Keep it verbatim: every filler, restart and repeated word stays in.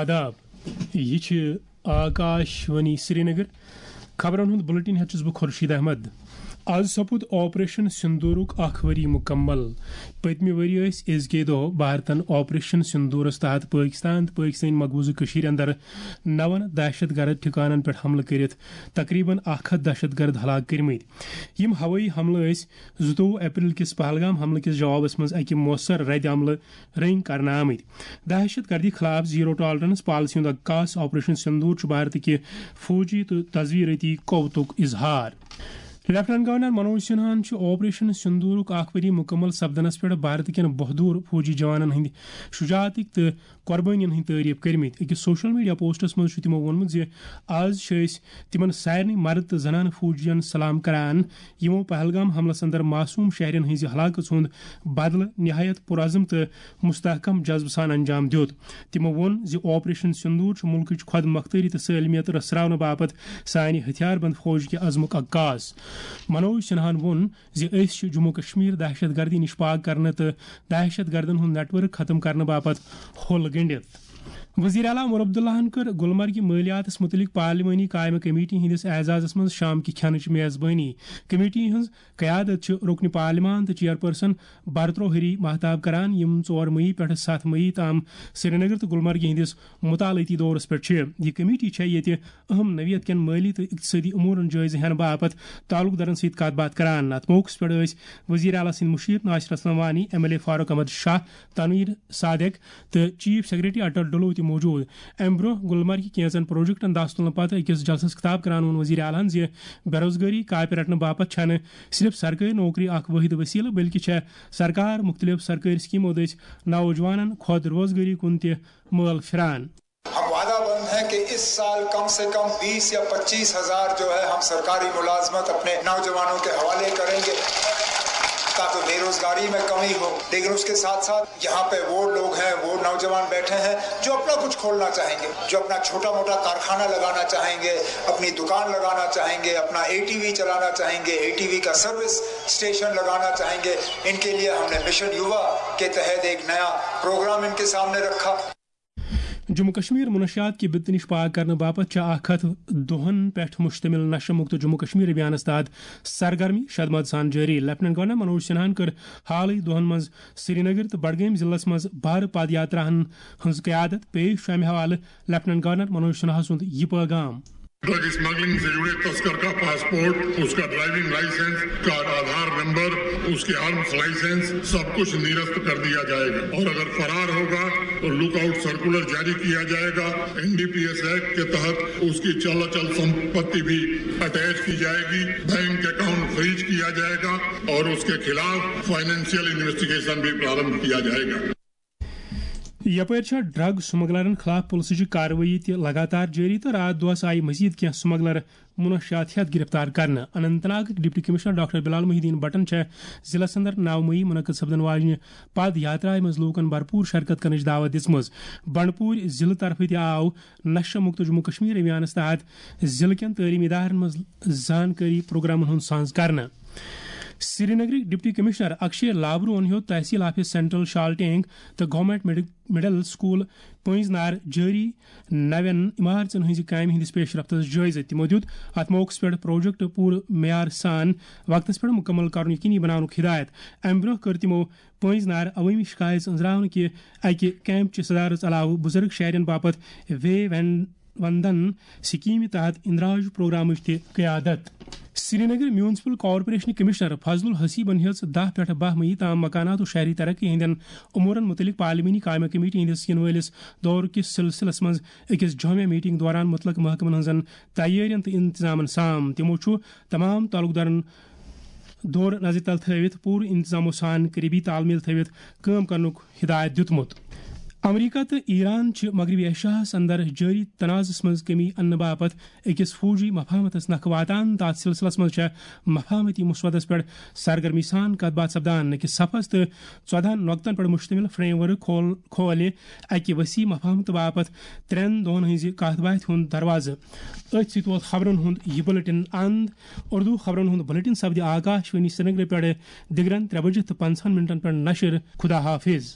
آداب، یہِ چھِ آکاش وانی سرینگر۔ خبرن ہُنٛد بُلٹن ہٮ۪تھ چھُس بہٕ خورشید احمد۔ آز سپُد آپریشن سندوٗرُک اکھ ؤری مُکمل۔ پٔتمہِ ؤری ٲسۍ أزکے دۄہ بھارتن آپریشن سندوٗرس تحت پٲکستان تہٕ پٲکستٲنۍ مقبوضہٕ کٔشیٖرِ اندر نون دہشت گرد ٹھِکانن پٮ۪ٹھ حملہٕ کٔرِتھ تقریباً اکھ ہتھ دہشت گرد ہلاک کٔرمٕتۍ۔ یِم ہوٲیی حملہٕ ٲسۍ زٕتووُہ اپریل کِس پہلگام حملہٕ کِس جوابس منٛز اکہِ مؤثر رد عملہٕ رٔنگۍ کرنہٕ آمٕتۍ۔ دہشت گردی خلاف زیرو ٹالرنس پالیسی ہُنٛد عکاس آپریشن سندوٗر چھُ بھارتٕکہِ فوجی تہٕ تزویرٲتی قوتُک اظہار۔ لیفٹیننٹ گورنر منوج سنہاہن چھُ آپریشن سندوٗرُک اکھ ؤری مُکمل سپدنس پٮ۪ٹھ بھارت کٮ۪ن بہادُر فوجی جوانن ہٕنٛدِ شجاعتٕکۍ تہٕ قۄربٲنین ہٕنٛدۍ تعریف کٔرمٕتۍ۔ أکِس سوشل میڈیا پوسٹس منٛز چھُ تِمو ووٚنمُت زِ آز چھِ أسۍ تِمن سارنٕے مرد تہٕ زنانہٕ فوجین سلام کران، یِمو پہلگام حملس اندر معصوم شہرین ہٕنٛزِ ہلاکژ ہُنٛد بدلہٕ نہایت پرعزم تہٕ مستحکم جذبہٕ سان انجام دیُت۔ تِمو ووٚن زِ آپریشن سندوٗر چھُ مُلکٕچ خۄد مۄختٲری تہٕ سٲلمیت رژھراونہٕ باپتھ سانہِ ہتھیار بند فوج کہِ عزمُک عکاس۔ منوج سنہاہن ووٚن زِ أسۍ چھِ جموں کشمیر دہشت گردی نِش پاک کرنہٕ تہٕ دہشت گردن ہُنٛد نیٹ ورک ختم کرنہٕ باپتھ ہوٚل گٔنڈِتھ۔ وزیر اعلیٰ عمر عبداللہن کٔر گلمرگہِ مٲلیاتس مُتعلق پارلیمانی قائمہ کمیٹی ہٕنٛدِس اعزازس منٛز شام کہِ کھٮ۪نٕچ میزبٲنی۔ کمیٹی ہٕنٛز قیادت چھِ رکن پارلیمان تہٕ چیئرپرسن برترو ہری مہتاب کران، یِم ژور مئی پٮ۪ٹھٕ ستھ مئی تام سرینگر تہٕ گلمرگہِ ہٕنٛدِس مطالعٲتی دورس پٮ۪ٹھ چھِ۔ یہِ کمیٹی چھےٚ ییٚتہِ اہم نوعیت کٮ۪ن مٲلی تہٕ اقتصٲدی امورن جٲیزٕ ہٮ۪نہٕ باپتھ تعلق دارن سۭتۍ کتھ باتھ کران۔ اتھ موقعس پٮ۪ٹھ ٲسۍ وزیر اعلیٰ سٕنٛدۍ مُشیر Nasir Aslam Wani, M L A Farooq Ahmad Shah, Tanvir Sadiq تہٕ چیف سیکرٹری اٹل ڈلو تہِ موجود۔ امہِ برونٛہہ گلمرگہِ کینٛژن پروجیکٹن دس تُلنہٕ پتہٕ أکِس جلسس خطاب کران ووٚن وزیر اعلیٰ ہن زِ بے روزگٲری کاپہِ رٹنہٕ باپتھ چھنہٕ صرف سرکٲرۍ نوکری اکھ وٲحد وسیلہٕ، بلکہِ چھےٚ سرکار مُختٔلِف سرکٲرۍ سکیمو دٔسۍ نوجوانن خۄد روزگٲری کُن تہِ مٲل پھران۔ ہم وعدہ بند ہیں کہ اس سال کم سے کم بیس یا پچیس ہزار جو ہے، ہم سرکاری ملازمت اپنے نوجوانوں کے حوالے کریں گے، تاکہ بے روزگاری میں کمی ہو۔ لیکن اس کے ساتھ ساتھ یہاں پہ وہ لوگ ہیں، وہ نوجوان بیٹھے ہیں جو اپنا کچھ کھولنا چاہیں گے، جو اپنا چھوٹا موٹا کارخانہ لگانا چاہیں گے، اپنی دکان لگانا چاہیں گے، اپنا اے ٹی وی چلانا چاہیں گے، اے ٹی وی کا سروس اسٹیشن لگانا چاہیں گے۔ ان کے لیے ہم نے مشن یووا کے تحت ایک نیا پروگرام ان کے سامنے رکھا۔ جموں کشمیر منشیات کہِ بِتہٕ نِش پاک کرنہٕ باپتھ چھِ اکھ ہتھ دۄہن پٮ۪ٹھ مشتمل نشہ مکت جموں کشمیر ابھیانس تحت سرگرمی شدمد سان جٲری۔ لیفٹیننٹ گورنر منوج سنہاہن کٔر حالٕے دۄہن منٛز سرینگر تہٕ بڈگٲمۍ ضلعس منٛز بھارٕ پد یاتراہن ہٕنٛز قیادت۔ پیش چھُ امہِ حوالہٕ لیفٹیننٹ گورنر منوج سنہا سُنٛد یہِ پٲغام۔ ڈرگ اسمگلنگ سے جڑے تسکر کا پاسپورٹ، اس کا ڈرائیونگ لائسنس، کا آدھار نمبر، اس کے آرمز لائسنس، سب کچھ نرست کر دیا جائے گا۔ اور اگر فرار ہوگا تو لک آؤٹ سرکولر جاری کیا جائے گا۔ N D P S act کے تحت اس کی چل اچل سمپتی بھی اٹیچ کی جائے گی۔ بینک اکاؤنٹ فریز کیا جائے گا اور اس کے خلاف فائنینشیل انویسٹیگیشن بھی پرارمبھ کیا جائے گا۔ یپٲرۍ چھےٚ ڈرگ سمگلرن خلاف پُلسٕچہِ کاروٲیی تہِ لگاتار جٲری تہٕ راتھ دۄہس آیہِ مزید کینٛہہ سمگلر منشیات ہٮ۪تھ گرفتار کرنہٕ۔ اننت ناگٕکۍ ڈپٹی کمشنر ڈاکٹر بلال محی الدین بٹن چھےٚ ضلعس اندر نو مئی منعقد سپدن واجنہِ پد یاترایہِ منٛز لوٗکن بھرپوٗر شرکت کرنٕچ دعوت دِژمٕژ۔ بنڈپوٗرۍ ضلعہٕ طرفہٕ تہِ آو نشہ مکت جموں کشمیر ابھیانس تحت ضلعہٕ کٮ۪ن تعلیمی ادارن منٛز زانکٲری پروگرامن ہُنٛد سانز کرنہٕ۔ سرینگرٕکۍ ڈپٹی کمشنر اکشے لابروہن ہیوٚت تحصیل آفس سینٹرل شال ٹینگ تہٕ گورنمنٹ مڈ-، مڈل سکول پٲنٛزۍ نار جٲری نوٮ۪ن عمارژن ہٕنٛزِ کامہِ ہٕنٛدِس پیش رفتس جٲیزٕ۔ تِمو دیُت اتھ موقعس پٮ۪ٹھ پروجیکٹ پوٗرٕ معیار سان وقتس پٮ۪ٹھ مکمل کرُن یقینی بناونُک ہدایت۔ امہِ برٛونٛہہ کٔر تِمو پٲنٛزۍ نار عوٲمی شکایژ أنٛزراونہٕ کہِ اکہِ کیمپ چہِ صدارژ علاوٕ بُزرگ شہرین باپتھ وے وین-، وندن سکیمہِ تحت اندراج پروگرامٕچ تہِ قیادت۔ سرینگر میونسپل کارپوریشن کمشنر فضل الحسیبن ہیٚژ دَہ پٮ۪ٹھ باہ مئی تام مکانات و شہری ترقی ہٕنٛدٮ۪ن امورن متعلق پارلیمانی قائمہ کمیٹی ہٕنٛدِس یِنہٕ وٲلِس دور کِس سلسلس منٛز أکِس جامع میٹنگ دوران متعلق محکمن ہٕنٛزن تیٲرین تہٕ انتظامن سام۔ تِمو چھُ تمام تعلقدارن دور نظرِ تل تھٲوِتھ پوٗرٕ انتظامو سان قریبی تال میل تھٲوِتھ کٲم کرنُک ہدایت دیُتمُت۔ امریکہ تہٕ ایران چھِ مغربی ایشیاہس اندر جٲری تنازعس منٛز کمی اننہٕ باپتھ أکِس فوجی مفاہمتس نکھٕ واتان تہٕ اتھ سلسلس منٛز چھےٚ مفاہمتی مسودس پٮ۪ٹھ سرگرمی سان کتھ باتھ سپدان۔ أکِس صفس تہٕ ژۄدہن نۄقطن پٮ۪ٹھ مشتمل فریم ورک کھول-، کھولہِ اکہِ وسیع مفاہمتہٕ باپتھ ترٛٮ۪ن دۄہن ہٕنٛزِ کتھ باتھِ ہُنٛد دروازٕ۔ أتھۍ سۭتۍ ووت خبرن ہُنٛد یہِ بُلٹن اند۔ اردو خبرن ہُنٛد بُلٹن سپدِ آکاش وانی سرینگرٕ پٮ۪ٹھٕ دِگرن ترٛےٚ بجہِ تہٕ پنٛژاہن منٹن پٮ۪ٹھ نشر۔ خدا حافظ۔